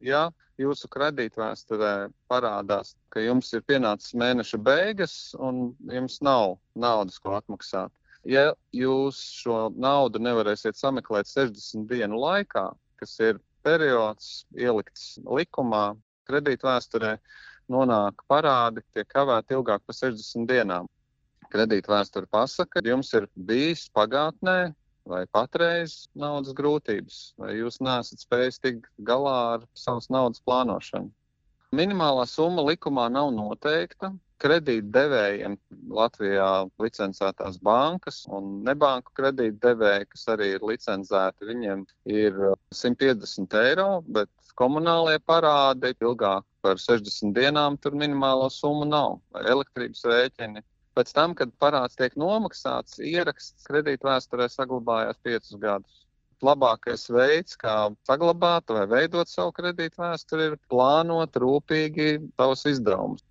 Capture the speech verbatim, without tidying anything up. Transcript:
Ja jūsu kredītvēsturē parādās, ka jums ir pienācis mēneša beigas un jums nav naudas, ko atmaksāt. Ja jūs šo naudu nevarēsiet sameklēt sešdesmit dienu laikā, kas ir periods ielikts likumā, kredītvēsturē nonāk parādi, tiek kavēti ilgāk par sešdesmit dienām. Kredītvēsture pasaka, ka jums ir bijis pagātnē vai patreiz naudas grūtības, vai jūs neesat spējis tikt galā ar savas naudas plānošanu. Minimālā summa likumā nav noteikta. Kredītdevējiem Latvijā licencētās bankas un nebanku kredītdevēji, kas arī ir licencēti, viņiem ir simt piecdesmit eiro, bet komunālie parādi ilgāk par sešdesmit dienām tur minimālo summu nav, vai elektrības rēķini. Pēc tam, kad parāds tiek nomaksāts, ieraksts kredītvēsturē saglabājās piecus gadus. Labākais veids, kā saglabāt vai veidot savu kredītvēsturi, ir plānot rūpīgi savus izdevumus.